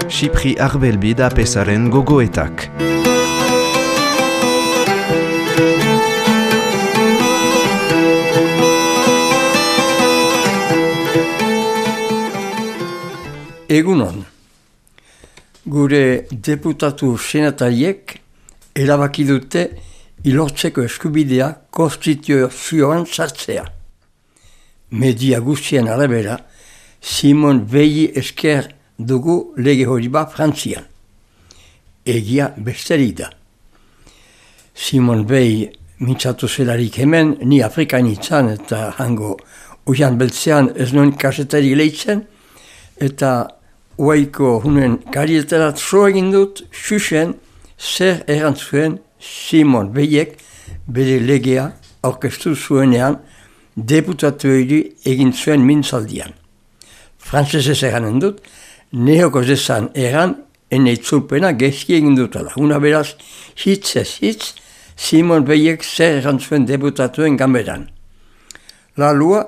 Xipri Arbelbid apesaren gogoetak. Egunon, gure deputatu senatariek erabaki dute ilortzeko eskubidea konstituzioan sartzea. Media guztien arabera, Simon Veili esker dugu lege hori bat Frantzian. Egia besterik da. Simon Veili mintzatu zelarik hemen, ni Afrikanitzan eta hango uian beltzean ez nuen kasetari lehitzen, eta oaiko hunen karieterat so egin dut, xuxen zer erantzuen Simon Veiliek bere legea aurkeztu zuenean deputatuei egin zuen mintzaldian. Frantzesez eranen dut, neoko zezan eran eneitzulpena gezki egin dutala. Una beraz, hitzez hitz, Simon Veiliek zer erantzuen deputatuen gamberan. La loi,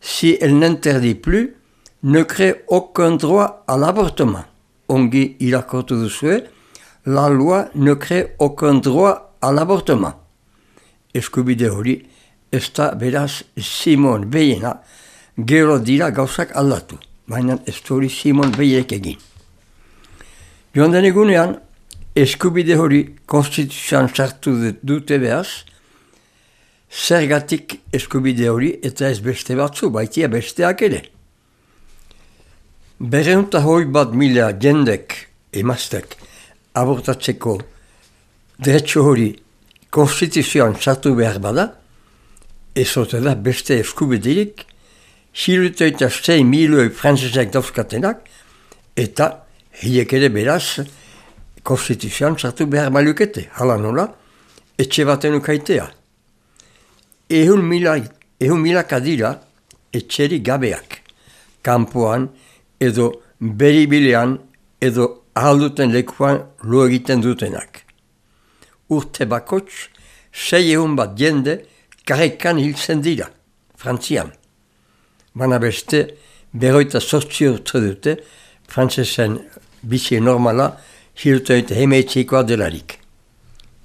si elle n'interdit plus, ne crée aucun droit à l'avortement. Ongi irakortu duzue, la loi ne crée aucun droit à l'avortement. Eskubide hori, ez da beraz Simon Veilena gero dira gauzak aldatu, baina ez hori Simon Veilek egin. Joan den egunean, eskubide hori konstituzioan sartu dute behaz, zergatik eskubide hori eta ez beste batzu, baitia besteak ere. 201.000 jendek, emaztek, abortatzeko dretxo hori konstituzioan sartu behar bada, ez ote da beste eskubiderik, 606 milioi frantzesek dauzkatenak, eta hiek ere beraz konstituzioan sartu behar balukete, hala nola, etxe baten ukaitea. 100.000 dira etxeri gabeak, kanpoan, edo beribilean, edo ahalduten lekuan lo egiten dutenak. Urte bakots, 600 bat jende karrekan hiltzen dira, Frantzian. Bana beste, 48 urte dute, frantzesen bizi normala, hiltoit hemeetzikoa delarik.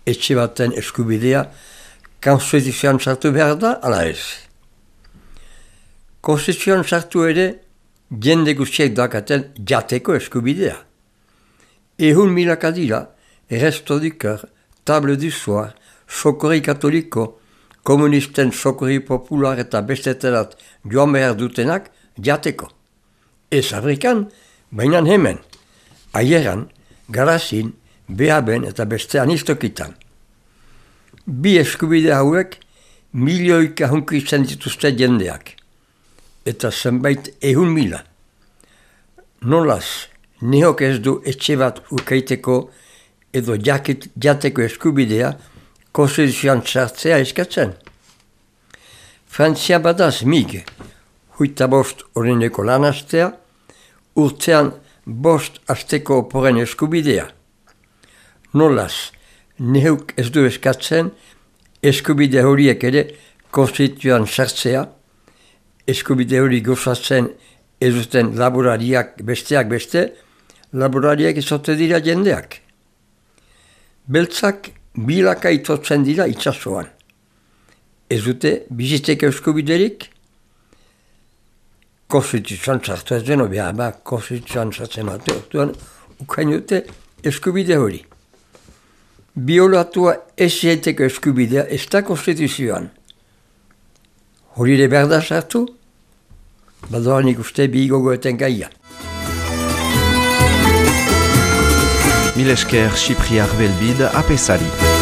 Etxe baten eskubidea, konstituzioan sartu behar da, ala ez. Konstituzioan sartu ere, jende guztiek dakaten jateko eskubidea. 100.000 dira, Resto du Cœur, Table du Soir, Sokori Katoliko, komunisten sokori popular eta besteterat joan behar dutenak jateko. Ez Afrikan, baina hemen, Aieran, Garazin, Behaben eta bestean istokitan. Bi eskubide hauek milioika hunkitzen dituzte jendeak. Eta zenbait 100.000. Nolaz, nehok ez du etxe bat ukaiteko edo jateko eskubidea konstituzioan sartzea eskatzen. Frantzia badaz mig, 25 horreneko lan astea, urtean 5 asteko oporen eskubidea. Nolaz, nehok ez du eskatzen eskubide horiek ere konstituzioan sartzea, eskubide hori gozatzen ez duten laborariak besteak beste, laborariak izote dira jendeak. Beltzak bilaka itotzen dira itsasoan. Ez dute bizitzeko eskubiderik, konstituzioan sartu ez deno behar, konstituzioan sartzen mate, ukain dute eskubide hori. Biolatua ez zaiteko eskubidea ez da konstituzioan. Hori ere behar da sartu, badoan ikuste bi gogoeten gaia. Mil esker Xipri Arbelbid apesari.